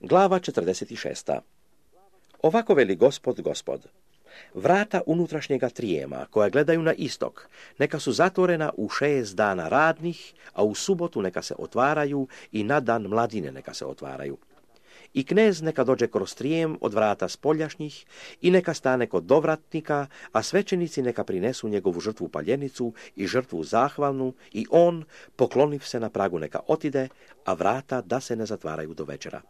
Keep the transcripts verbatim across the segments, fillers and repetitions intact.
Glava četrdeset šest. Ovako veli Gospod, Gospod. Vrata unutrašnjega trijema, koja gledaju na istok, neka su zatvorena u šest dana radnih, a u subotu neka se otvaraju i na dan mladine neka se otvaraju. I knez neka dođe kroz trijem od vrata spoljašnjih i neka stane kod dovratnika, a svećenici neka prinesu njegovu žrtvu paljenicu i žrtvu zahvalnu i on, pokloniv se na pragu, neka otide, a vrata da se ne zatvaraju do večera.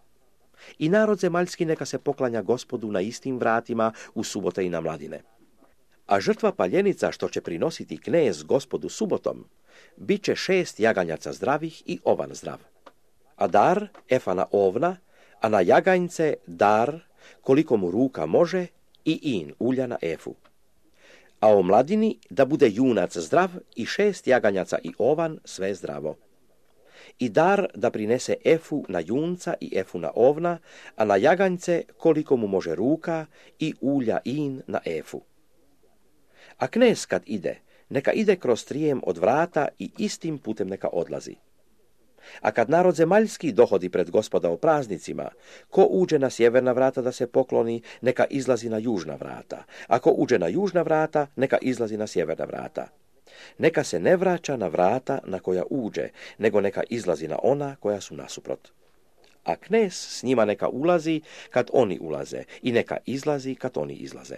I narod zemaljski neka se poklanja Gospodu na istim vratima u subote i na mladine. A žrtva paljenica što će prinositi knez Gospodu subotom, bit će šest jaganjaca zdravih i ovan zdrav. A dar efana ovna, a na jaganjce dar koliko mu ruka može i in ulja na efu. A o mladini da bude junac zdrav i šest jaganjaca i ovan sve zdravo. I dar da prinese efu na junca i efu na ovna, a na jaganjce koliko mu može ruka i ulja in na efu. A knez kad ide, neka ide kroz trijem od vrata i istim putem neka odlazi. A kad narod zemaljski dohodi pred Gospoda o praznicima, ko uđe na sjeverna vrata da se pokloni, neka izlazi na južna vrata. Ako uđe na južna vrata, neka izlazi na sjeverna vrata. Neka se ne vraća na vrata na koja uđe, nego neka izlazi na ona koja su nasuprot. A knez s njima neka ulazi kad oni ulaze i neka izlazi kad oni izlaze.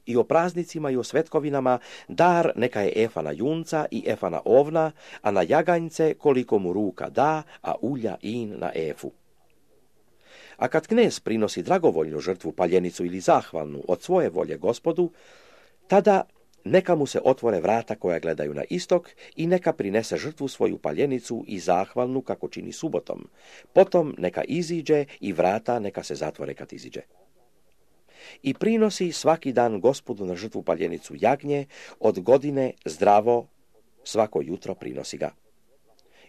I o praznicima i o svetkovinama dar neka je efa na junca i efa na ovna, a na jaganjce koliko mu ruka da, a ulja in na efu. A kad knez prinosi dragovoljnu žrtvu paljenicu ili zahvalnu od svoje volje Gospodu, tada neka mu se otvore vrata koja gledaju na istok i neka prinese žrtvu svoju paljenicu i zahvalnu kako čini subotom. Potom neka iziđe i vrata neka se zatvore kad iziđe. I prinosi svaki dan Gospodu na žrtvu paljenicu jagnje, od godine zdravo, svako jutro prinosi ga.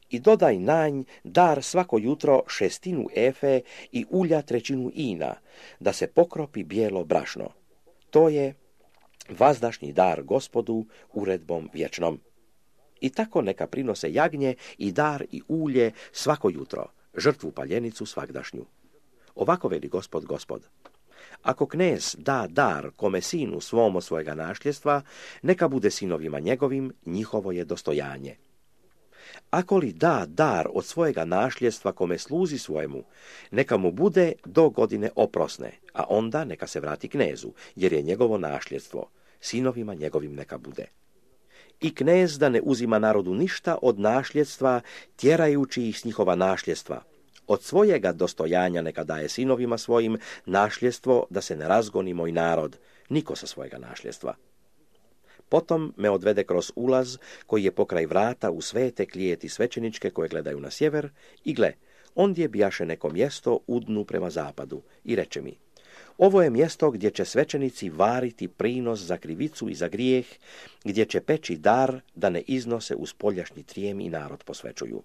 I dodaj na nj dar svako jutro šestinu efe i ulja trećinu ina, da se pokropi bijelo brašno. To je vazdašnji dar Gospodu uredbom vječnom. I tako neka prinose jagnje i dar i ulje svako jutro, žrtvu paljenicu svagdašnju. Ovako veli Gospod, Gospod. Ako knez da dar kome sinu svomo svojega našljestva, neka bude sinovima njegovim, njihovo je dostojanje. Ako li da dar od svojega našljestva kome sluzi svojemu, neka mu bude do godine oprosne, a onda neka se vrati knezu, jer je njegovo našljestvo, sinovima njegovim neka bude. I knez da ne uzima narodu ništa od našljestva, tjerajući ih s njihova našljestva. Od svojega dostojanja neka daje sinovima svojim našljestvo, da se ne razgoni moj narod, niko sa svojega našljestva. Potom me odvede kroz ulaz koji je pokraj vrata u svete klijeti svećeničke koje gledaju na sjever i gle, ondje bijaše neko mjesto u dnu prema zapadu i reče mi, ovo je mjesto gdje će svećenici variti prinos za krivicu i za grijeh, gdje će peći dar da ne iznose u spoljašnji trijem i narod posvećuju.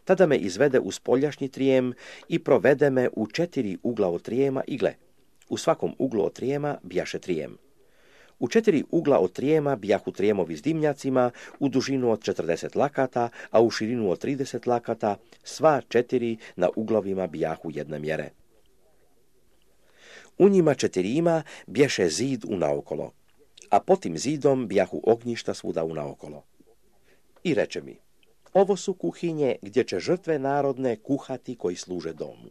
Tada me izvede u spoljašnji trijem i provede me u četiri ugla od trijema i gle, u svakom uglu od trijema bijaše trijem. U četiri ugla od trijema bijahu trijemovi s dimnjacima u dužinu od četrdeset lakata, a u širinu od trideset lakata, sva četiri na uglovima bijahu jedne mjere. U njima četirima bješe zid unaokolo, a pod tim zidom bijahu ognjišta svuda unaokolo. I reče mi, ovo su kuhinje gdje će žrtve narodne kuhati koji služe domu.